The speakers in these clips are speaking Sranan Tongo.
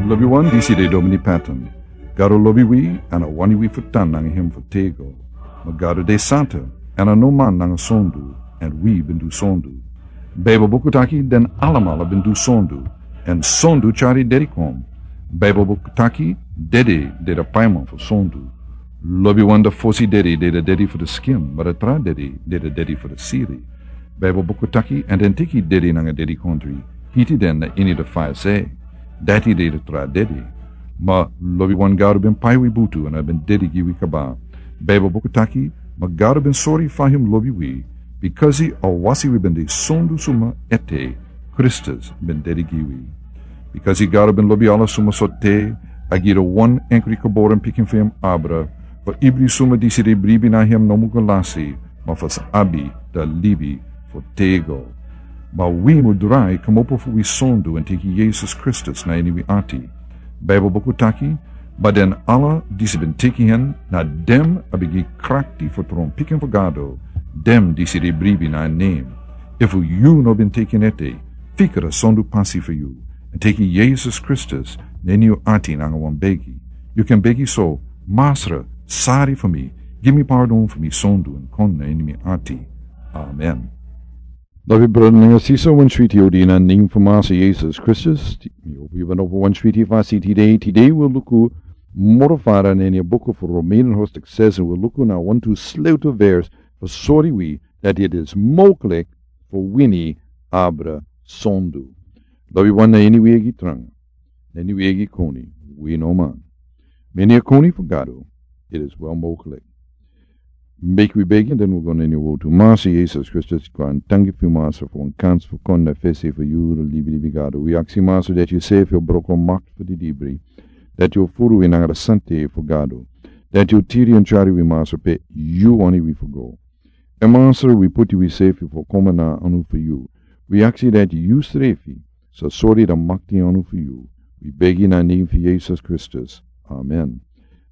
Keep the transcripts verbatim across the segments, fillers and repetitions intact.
Lobi wan, disi de Domini Patton. Gado lobi wi, èn a wani wi fu tan nanga hem fu tego. Ma Gado de santa, èn a no man nanga sondu, èn wi ben du sondu. Baibel buku taki den alamala ben du sondu, èn sondu tyari dedi kon. Baibel buku taki dede de da paiman fu sondu. Lobi wan, da fosi dedi de da dedi fu da skin, ma da tra dedi de da dedi fu da siri. Baibel buku taki, èn den teki dedi nanga dedikondri, hiti den na ini da faya se. Dati de da tra dedi. Ma lobi wan, Gado ben pai wi butu, èn a ben dedi gi wi kaba. Baibel buku taki, ma Gado ben sori fa hem lobi wi, bikasi a wasi wi ben de sondu suma ete, Kristus ben dedi gi wi. Bikasi Gado ben lobi ala suma so te, a gi da wan enkri geboren pikin fu hem abra, fu ibri suma disi de bribi na hem no mu go lasi, ma fu sa abi da libi fu tego. Ma wi mu drai komopo fu wi sondu èn teki Yesus Kristus na ini wi ati. Baibel buku taki, ma den ala disi ben teki hen, na dem a ben gi krakti fu tron pikin fu Gado, dem disi de bribi na en nen. Efu yu no ben teki en ete, fika da sondu pasi fu yu, èn teki Yesus Kristus na ini yu ati nanga wan begi. Yu kan begi so, Masra, sari fu mi, gi mi pardon fu mi sondu èn kon na ini mi ati. Amen. Lobi brada nanga sisa, wan switi odi na nen fu Masra Yesus Kristus. Mi hopi yu ben opo wan switi fasi tide. Tide wi luku moro fara na ini a buku fu Romeinen hoofdstuk zes, èn wi luku na wantu sleutel vers fu sori wi dati iti is mogelijk fu wini abra sondu. Lobi wan, na ini wi eigi tranga, na ini wi eigi koni, wi no man. Ma ini a koni fu Gado, iti is wel mogelijk. Meki wi begi, èn den wi go na ini a wortu. Masra Yesus Kristus, kon danki fu yu Masra fu wan kans fu kon na fesi fu yu, da libi libi Gado. Wi aksi Masra dati yu sefi o broko makti fu di dibri. Dati yu o furu wi nanga da santa fu Gado. Dati yu o tiri èn tyari wi Masra pe yu wani wi fu go. Èn Masra, wi puti wi sefi fu kon na anu fu yu. Wi aksi dati yu srefi sa sori da makti anu fu yu. Wi begi na nen fu Yesus Kristus. Amen.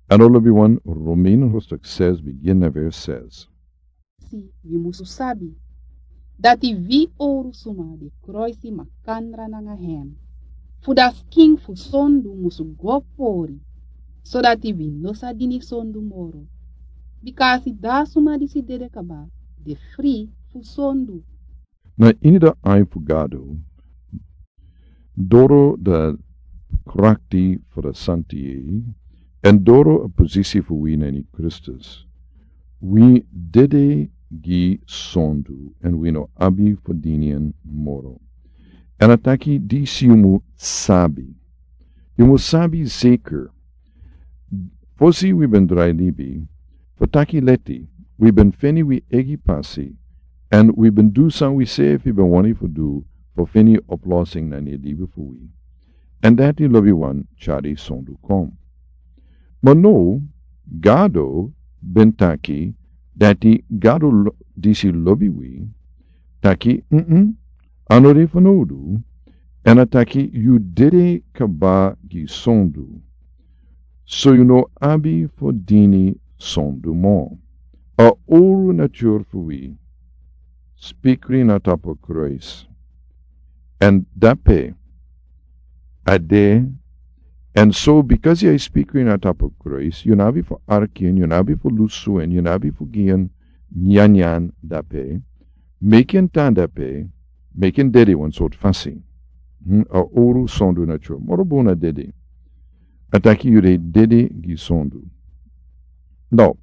Èn lobi wan, Romeinen hoofdstuk zes, bigin na vers zes. Si, wi musu sabi dati wi owru suma de kroisi makandra nanga hem, fu da skin fu sondu musu go pori, sodati wi no sa dini sondu moro. Bikasi da suma disi dede kaba de fri fu sondu. Na ini da ai fu Gado, doro da krakti fu da santa, èn doro a posisi fu wi na ini Kristus, wi dede gi sondu, èn wi no abi fu dini en moro. Èn a taki disi yu mu sabi. Yu mu sabi zeker. Fosi wi ben drai libi, fu taki leti, wi ben feni wi eigi pasi, èn wi ben du san wi sefi ben wani fu du, fu feni oplossing na ini libi fu wi. Èn dati lobi wan tyari sondu kon. Ma now, Gado ben taki, dati Gado lo-, disi lobi wi, taki, mm, a no de fanowdu, èn a taki yu dede kaba gi sondu. So yu no abi fu dini sondu moro. A owru natur fu wi, spikri na tapu Christ. Èn dape, a de, èn so, bikasi a spikri na tapu Christ, yu no abi fu arki en, yu no abi fu lusu en, yu no abi fu gi en nyanyan dape, meki en tan dape, meki en dede wan sortu fasi. Hmm, a owru sondu natur. Moro bun a dede. A taki yu de dede gi sondu. Now,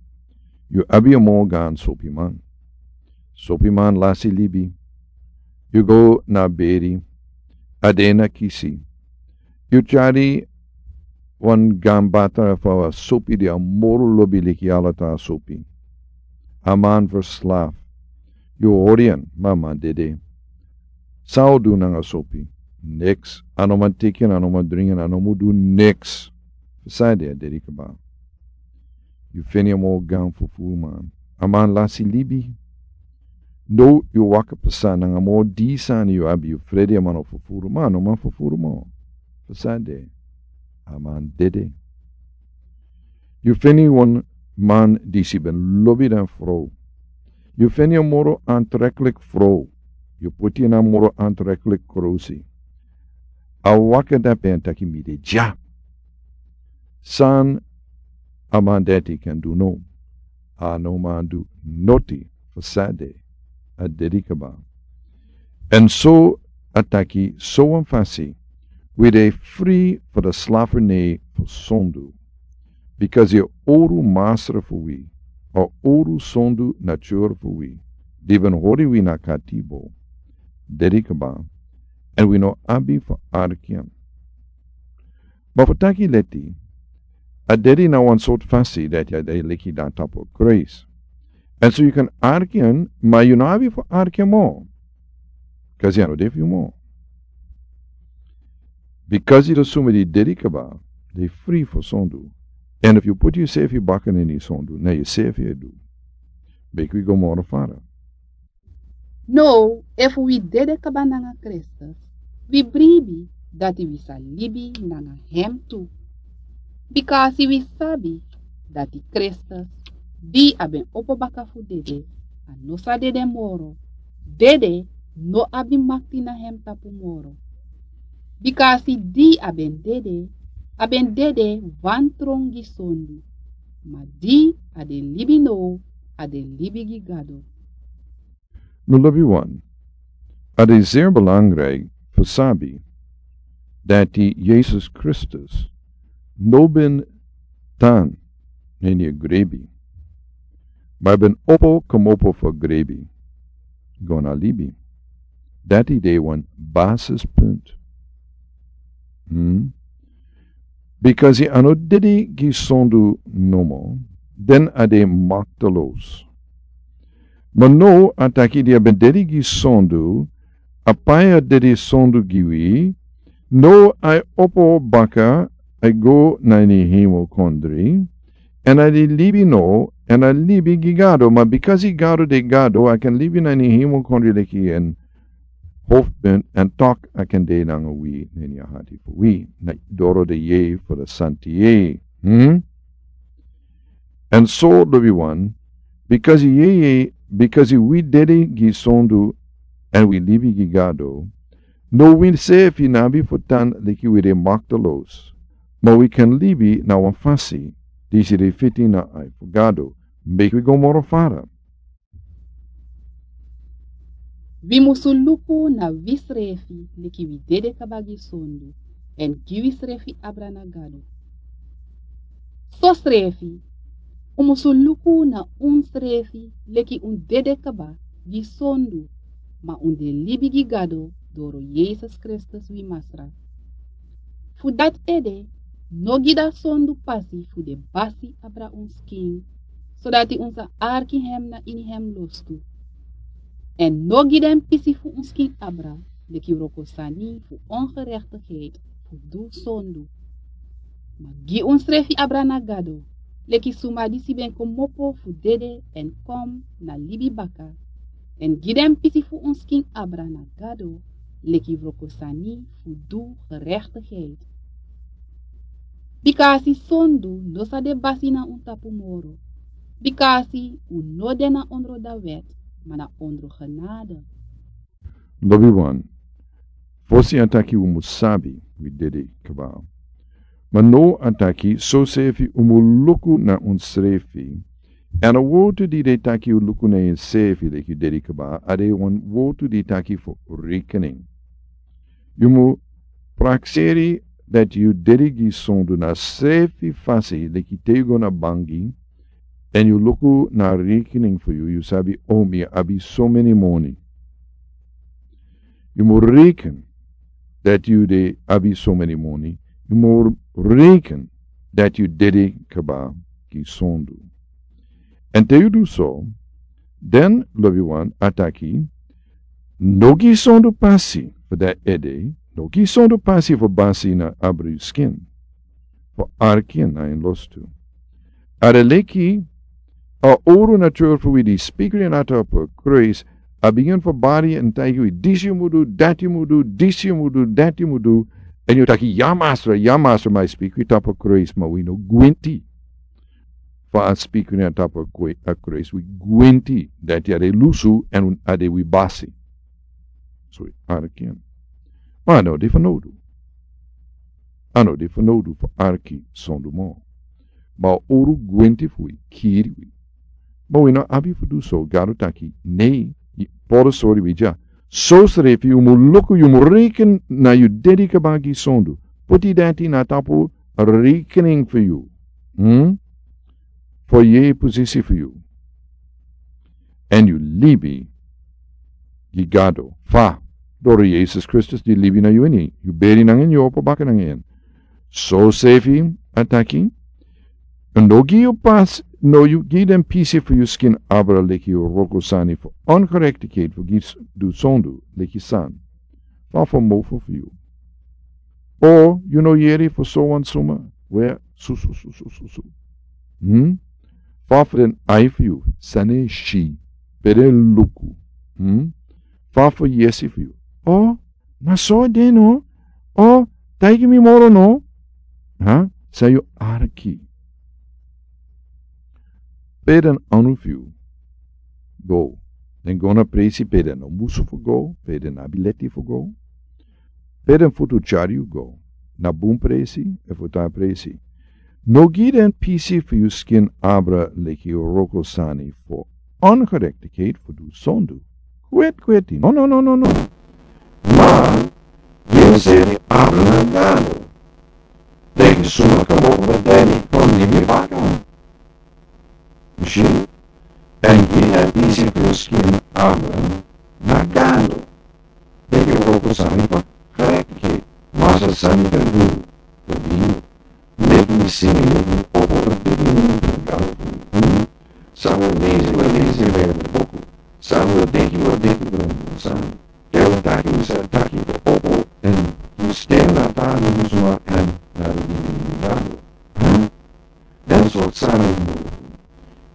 yu abi a moro gaan sopiman. Sopiman lasi libi. Yu go na beri. A de na kisi. Yu tyari wan gaan bata fu a sopi di a moro lobi leki ala tra sopi. A man verslaaf. Yu hori en, ma a man dede. San a o du nanga sopi? Niks. A no man teki en, a no man dringi en, a no man du niks. Fu san a de, a dede kaba. Yu feni a moro gaan fufuruman. A man lasi libi. Now yu waka pasa nanga moro dii sani yu abi, yu frede a man o fufuru, ma a no man fufuru moro. Fu san a de? A man dede. Yu feni wan man disi ben lobi den frow. Yu feni a moro aantrekkelijk frow. Yu poti en a moro aantrekkelijk krosi. A waka dape èn taki mi de dya. San a man dati kan du no? A no man du noti fu sade. A dedi kaba. Èn so a taki sowan fasi wi de fri fu de slafernei fu sondu. Bikasi a owru masra fu wi, a owru sondu natur fu wi, di ben hori wi na katibo, dedi kaba, èn wi no abi fu arki en. Ma fu taki leti, a dedi na wan sortu fasi dati a de leki dan tapu Krais. Èn so yu kan arki en, ma yu no abi fu arki en mo. Kasi a no de fu yu mo. Bikasi den suma di dedi kaba, de fri fu sondu. Èn efu yu poti yusefi baka na ini sondu, na yusefi e du. Meki wi go moro fara. Now, efu wi dede kaba nanga Kristus, wi bribi dati wi sa libi nanga hem tu. Bikasi wi sabi dati Kristus, di a ben opo baka fu dede, a no sa dede moro. Dede no abi makti na hem tapu moro. Bikasi di a ben dede, a ben dede wantron gi sondu. Ma di a de libi now, a de libi gi Gado. Mi lobiwan, a de zeer belangrijk fu sabi dati Yesus Kristus no ben tan na ini a grebi, ma a ben opo komopo fu a grebi go na libi. Dati de wan basispunt. Hmm? Bikasi a no dede gi sondu nomo, dan a de makteloos. Ma now a taki di a ben dede gi sondu, a pai a dede sondu gi wi, now a e opo baka, a e go na ini hemelkondre, èn a de libi now, èn a libi gi Gado, ma bikasi Gado de Gado, a kan libi na ini hemelkondre leki en hoofdpunt èn tok a kan de nanga wi na ini a hati fu wi, na doro de yeye fu de santi yeye. Hmm? Èn so lobiwan, bikasi yeye, bikasi wi dede gi sondu èn wi libi gi Gado, now wi sefi no abi fu tan leki wi de makteloos, ma wi kan libi na wan fasi disi de fiti na ai fu Gado. Meki wi go moro fara. Wi musu luku na wisrefi leki wi dede kaba gi sondu, èn gi wisrefi abra na Gado. Sosrefi, un musu luku na unsrefi leki un dede kaba gi sondu, ma un de libi gi Gado doro Yesus Kristus wi Masra. Fu dati ede, no gi dati sondu pasi fu de basi abra un skin, sodati un sa arki hem na ini hem lostu. Èn no gi den pisi fu un skin abra leki wrokosani fu ongerechtigheid fu du sondu. Ma gi unsrefi abra na Gado, leki suma disi ben komopo fu dede èn kon na libi baka, èn gi den pisi fu un skin abra na Gado, leki wrokosani fu du gerechtigheid. Bikasi sondu no sa de basi na un tapu moro. Bikasi un no de na ondro da wet, ma na ondro genade. Lobiwan, fosi a taki un mus sabi wi dede kaba. Ma now a taki sosefi un mus luku na unsrefi. Èn a wortu di de taki un luku na unsrefi leki dede kaba, a de wan wortu di taki fu rekening. Yu mus prakseri dati yu dede gi sondu na srefi fasi leki te yu go na bangi, èn yu luku na rekening fu yu, yu sabi, o, mi abi so meni moni. Yu mus reken dati yu de abi so meni moni. Yu mus reken dati yu dede kaba gi sondu. Èn te yu du so, dan lobiwan a taki, no gi sondu pasi fu dati ede, no gi sondu pasi fu basi na abra yu skin, fu arki en na en lostu. A de leki a owru natur fu wi di spikri en na tapu Krais, a bigin fu bari en taigi wi, disi yu mus du, dati yu mus du, disi yu mus du, dati yu mus du, èn yu taki, ya Masra, ya Masra, ma a spikri tapu Krais, ma wi no gwenti. Fa a spikri na tapu a Krais, wi gwenti dati a de lusu èn a de wi basi. So wi arki en. Ma a no de fanowdu. A no de fanowdu fu arki sondu moro. Ma a owru gwenti fu wi kiri wi. Ma wi no abi fu du so. Gado taki nei. Poro sori wi dya. Sosrefi yu mu luku, yu mu reken na yu dedi kaba gi sondu. Poti dati na tapu rekening fu yu. Hmm? Fu yu posisi fu yu. Èn yu libi gi Gado fa doro Yesus Kristus di libi na yu ini. Yu beri nanga en, yu opo baka nanga en. Sosrefi a taki. No gi yu pasi, no yu gi den pisi fu yu skin abra leki yu wroko sani fu ongerechtigheid fu gi du sondu leki san. Fa fu mofo fu yu. O yu no yere fu sowan suma. We susususususu. Hmm? Fa fu den ai fu yu san e si, pe den luku. Hmm? Fa fu yesi fu yu. O na so a de no. O taigi mi moro no. Ha? San yu arki. Pe den anu fu yu go. Den go na presi pe den no musu fu go, pe den abi leti fu go. Pe den futu tyari yu go na bun presi efu tra presi. No gi den pisi fu yu skin abra leki wroko sani fu ongerechtigheid fu du sondu. Kweti kweti. No no no no no. Ma gi yu seni abra na Gado. Leki suma kmopo na deni kon libi baka. Yu si? Èn gi den pisi fu yu skin abra na Gado. Leki wroko sani fu gerechtigheid. Masra, san mi kan du fu yu? Leki mi singi, leki mi opo, leki mi Gado fu yu. San wi leisi, wi leisi Bijbel boku. San wi denki, wi denki Bijbel sani. Te wi taki, wi sa taki fu opo èn yu sten na a tra suma èn na di ini Gado. Hm? Den sortu sani wi mu du.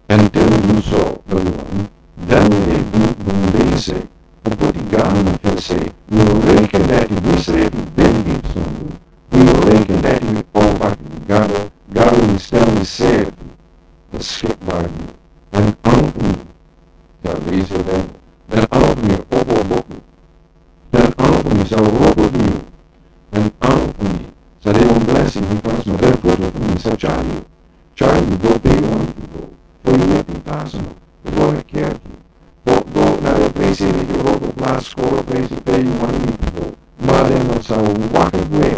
Èn te wi du so, dati wani, dan wi e du bun leisi. Wi poti Gado na fesi. Wi reken dati wi srefi ben du sondu. Wi reken dati wi opo baka gi Gado, Gado wi stel wi srefi beschikbaar gi yu. Den anu fu mi sa leisi Bijbel. Den anu fu mi opo boku. Den anu fu mi sa wroko gi yu. Den anu fu mi sa de wan blessing, mi fasi, ma den futu fu mi sa tyari yu. Tyari yu go pe yu wani fu go. Fu yu meti personal. Fu go na kerki. Fu go na den presi leki wroko plas, skoro presi pe yu wani fu go. Ma den no sa waka gwe.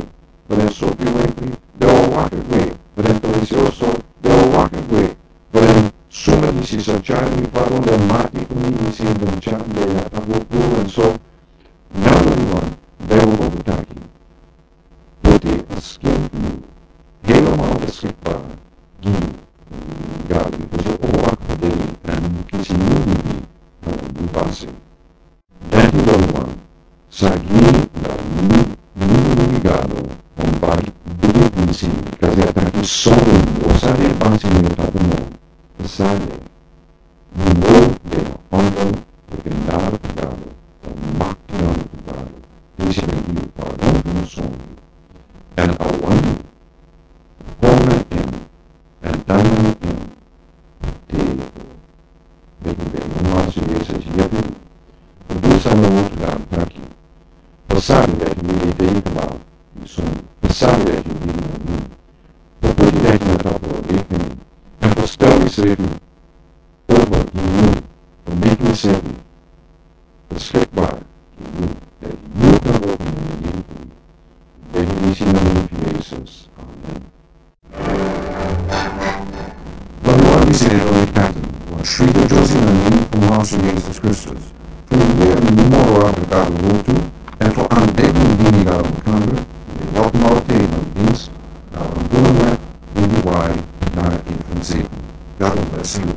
Fu den sopi wenkri, den o waka gwe. Fu den presi oso, den o waka gwe. Fu den suma disi sa tyari mi, fa den mati fu mi disi den tyari den na tapu puru èn so. Nownow wan, Bijbel boku taki. Poti a skin fu yu helemaal beschikbaar gi Gado, bikasi a o waka fu dede èn kisi nyun libi, eh, yu pasi. Dati dati wan sa gi yu na yu, yu libi Gado wan bari bigi pisi, bikasi a taki so yu o sa de pasi na yu tapu moro. Sani. Yu no de na ondro fu den genade fu Gado, dan makti na yu fu Gado. Disi ben gi yu pardon fu yu sondu. Èn a wani yu kon na en, èn tan na en. Te yu go. Meki wi begi Masu Yesus yepi wi fu du san a wroko Gado taki. Fu sabi dati wi de dede kaba gi sondu. Fu sabi dati wi de na yu. Fu poti dati na tapu rekening. Èn fu stel yusrefi over gi yu, fu meki yusrefi beschikbaar gi yu, dati yu kan wroko nanga yu. Begi disi na nen fu Yesus. Amen. Wan wan disi de Roy Patton, wan switi dyosi na nen fu Masu Yesus Kristus. Fu yu yere moro abra Gado wortu, èn fu a begi yu dini Gado mukandra, yu e welkom altijd na dings, na wan bun wet, winti wai, na influensi. God bless you.